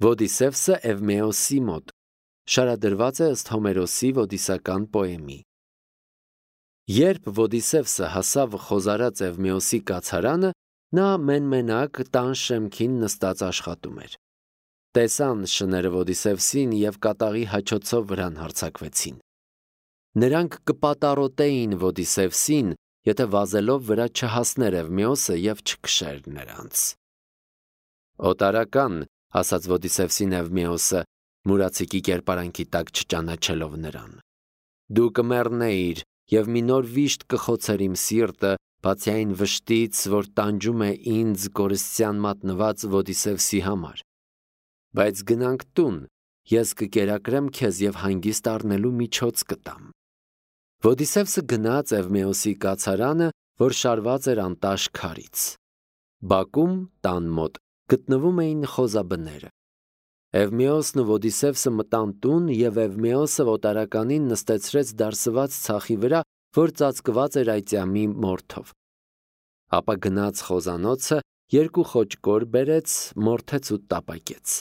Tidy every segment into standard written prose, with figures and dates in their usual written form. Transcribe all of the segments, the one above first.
Ոդիսևսը Էվմեոսի մոտ շարադրված է ըստ Հոմերոսի ոդիսական պոեմի։ Երբ Ոդիսևսը հասավ խոզարած Էվմեոսի կացարանը, նա մենմենակ տան շեմքին նստած աշխատում էր։ Տեսան շները Ոդիսևսին և կատաղի հաչոցով վրան հարձակվեցին։ Նրանք կպատառոտեին Ոդիսևսին, եթե վազելով վրա չհասներ Էվմեոսը և չքշեր նրանց։ Օտարական, ասաց Ոդիսևսին Էվմեոսը, մուրացիկի կերպարանքի տակ չճանաչելով նրան։ Դու կմեռնեիր և մի նոր վիշտ կխոցեր իմ սիրտը, բացի այն վշտից, որ տանջում է ինձ կորստյան մատնված Ոդիսևսի համար։ Բայց գնանք տուն, ես կկերակրեմ քեզ և հանգիստ առնելու միջոց կտամ։ Ոդիսևսը գնաց Էվմեոսի կացարանը, որ շարված էր անտաշ քարից։ Բակում, տան մոտ, գտնվում էին խոզաբները։ Էվմեոսն ու Ոդիսևսը մտան տուն և Էվմեոսը օտարականին նստեցրեց դարսված ցախի վրա, որ ծածկված էր այծյամի մորթով։ Ապա գնաց խոզանոցը, երկու խոճկոր բերեց, մորթեց ու տապակեց։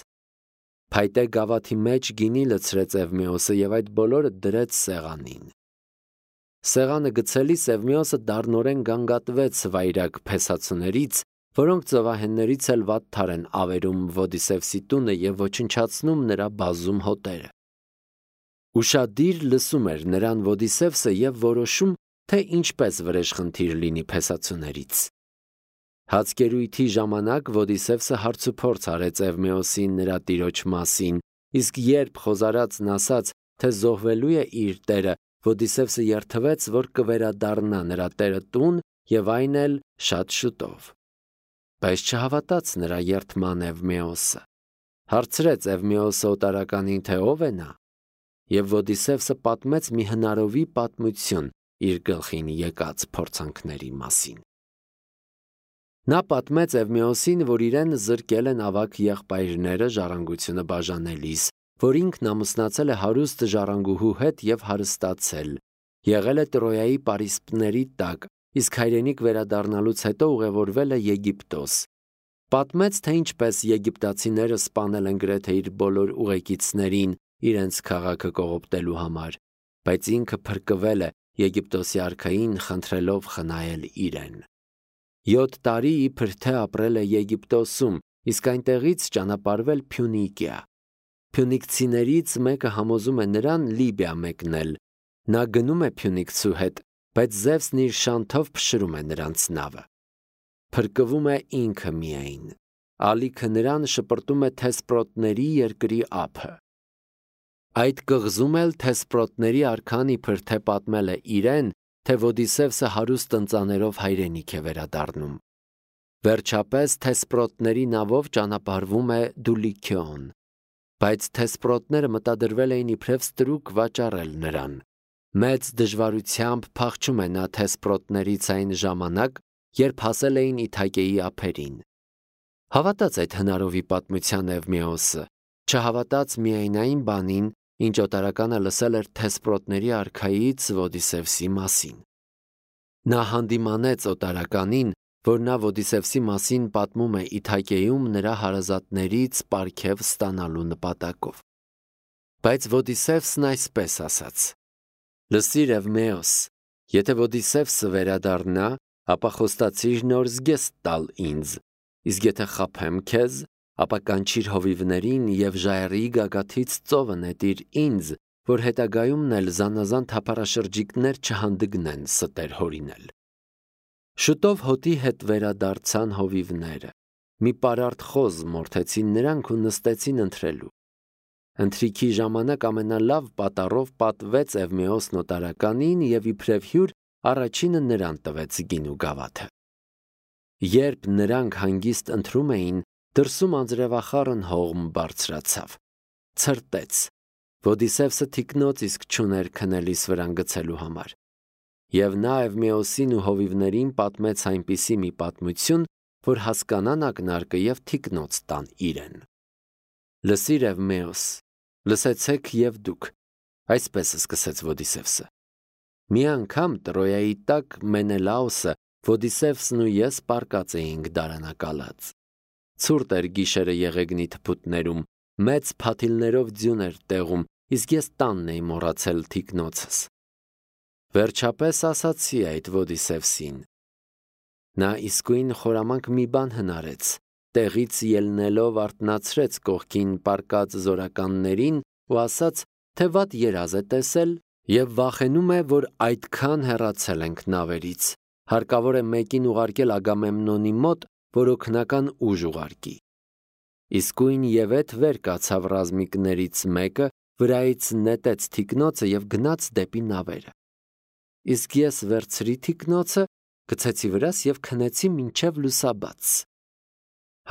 Փայտե գավաթի մեջ գինի լցրեց Էվմեոսը և այդ բոլորը դրեց սեղանին։ Սեղանը գցելիս Էվմեոսը դառնորեն գանգատվեց վայրագ փեսացուներից, որոնք ծովահեններից էլ վատթար են ավերում Ոդիսևսի տունը և ոչնչացնում նրա բազում հոտերը։ Ուշադիր լսում էր նրան Ոդիսևսը և որոշում, թե ինչպես վրեժխնդիր լինի փեսացուներից։ Հացկերույթի ժամանակ Ոդիսևսը հարցուփորձ արեց Էվմեոսին նրա տիրոջ մասին, իսկ երբ խոզարածն ասաց, թե զոհվելու է իր տերը, Ոդիսևսը երդվեց, որ կվերադառնա նրա տերը տուն և այն էլ շատ շուտով։ Բայց չհավատաց նրա երդման Էվմեոսը։ Հարցրեց Էվմեոսը օտարականին, թե ով է նա, և Ոդիսևսը պատմեց մի հնարովի պատմություն իր գլխին եկած փորձանքների մասին։ Նա պատմեց Էվմեոսին, որ իրեն զրկել են ավագ եղբայրները ժառանգությունը բաժանելիս, որ ինքն ամուսնացել է հարուստ ժառանգուհու հետ և հարստացել, եղել է Տրոյայի պարիսպների տակ, իսկ հայրենիք վերադառնալուց հետո ուղևորվել է Եգիպտոս։ Պատմեց, թե ինչպես եգիպտացիները սպանել են գրեթե իր բոլոր ուղեկիցներին իրենց քաղաքը կողոպտելու համար, բայց ինքը փրկվել է Եգիպտոսի արքային խնդրելով խնայել իրեն։ 7 տարի իբր թե ապրել է Եգիպտոսում, իսկ այնտեղից ճանապարհվել Փյունիկիա։ Փյունիկցիներից մեկը համոզում է նրան Լիբիա մեկնել։ Նա գնում է փյունիկցու հետ, բայց Զևսն իր շանթով փշրում է նրանց նավը։ Փրկվում է ինքը միայն։ Ալիքը նրան շպրտում է Թեսպրոտների երկրի ափը։ Այդ կղզում էլ Թեսպրոտների արքան իբր թե պատմել է իրեն, թե Ոդիսևսը հարուստ ընծաներով հայրենիք է վերադառնում։ Վերջապես Թեսպրոտների նավով ճանապարհվում է Դուլիքիոն, բայց Թեսպրոտները մտադրվել էին իբրև ստրուկ վաճառել նրան։ Մեծ դժվարությամբ փախչում է նա Թեսպրոտներից այն ժամանակ, երբ հասել էին Իթակեի ափերին։ Հավատաց այդ հնարովի պատմության Էվմեոսը, չհավատաց միայն այն բանին, ինչ օտարականը լսել էր Թեսպրոտների արքայից Ոդիսևսի մասին։ Նա հանդիմանեց օտարականին, որ նա Ոդիսևսի մասին պատմում է Իթակեում նրա հարազատներից պարգև ստանալու նպատակով։ Բայց Ոդիսևսն այսպես ասաց. «Լսիր, Էվմեոս, եթե Ոդիսևսը վերադառնա, ապա խոստացիր նոր զգեստ տալ ինձ, իսկ եթե խաբեմ քեզ, ապա կանչիր հովիվներին և ժայռի գագաթից ծովը նետիր ինձ, որ հետագայումն էլ զանազան թափառաշրջիկներ չհանդգնեն ստեր հորինել»։ Շուտով հոտի հետ վերադարձան հովիվները։ Մի պարարտ խոզ մորթեցին նրանք ու նստեցին ընթրելու։ Ընթրիքի ժամանակ ամենալավ պատառով պատվեց Էվմեոսն օտարականին և իբրև հյուր առաջինը նրան տվեց գին ու գավաթը։ Երբ նրանք հանգիստ ընթրում էին, դրսում անձրևախառն հողմ բարձրացավ։ Ցրտեց։ Ոդիսևսը թիկնոց իսկ չուներ քնելիս վրան գցելու համար։ Եվ նա Էվմեոսին ու հովիվներին պատմեց այնպիսի մի պատմություն, որ հասկանան ակնարկը և թիկնոց տան իրեն։ Լսիր, Էվմեոս, լսեցեք և դուք, այսպես սկսեց Ոդիսևսը։ Մի անգամ Տրոյայի տակ Մենելաոսը, Ոդիսևսն ու ես պառկած էինք դարանակալած։ Ցուրտ էր գիշերը եղեգնի թփուտներում, Մեծ փաթիլներով ձյուն էր տեղում, իսկ ես տանն էի մոռացել թիկնոցս։ Վերջապես ասացի այդ Ոդիսևսին։ Նա իսկույն խորամանկ մի բան հնարեց, տեղից ելնելով արթնացրեց կողքին պառկած զորականներին ու ասաց, թե վատ երազ է տեսել և վախենում է, որ այդքան հեռացել ենք նավերից, հարկավոր է մեկին ուղարկել Ագամեմնոնի մոտ, որ օգնական ուժ ուղարկի։ Իսկույն Եվեթ վեր կացավ ռազմիկներից մեկը, վրայից նետեց թիկնոցը և գնաց դեպի նավերը։ Իսկ ես վերցրի թիկնոցը, գցեցի վրաս և քնեցի մինչև լուսաբաց։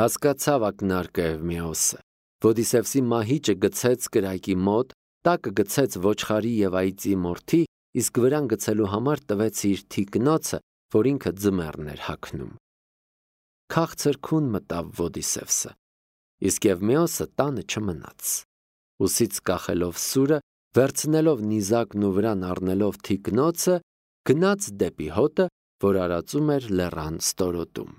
Հասկացավ ակնարկը Էվմեոսը։ Ոդիսևսի մահիճը գցեց կրակի մոտ, տակը գցեց ոչխարի և այծի մորթի, իսկ վրան գցելու համար տվեց իր թիկնոցը, որ ինքը ձմեռն էր հագնում։ Քաղցր քուն մտավ Ոդիսևսը, իսկ Էվմեոսը տանը չմնաց։ Ուսից կախելով սուրը, վերցնելով նիզակն ու վրան առնելով թիկնոցը, գնաց դեպի հոտը, որ արածում էր լեռան ստորոտում։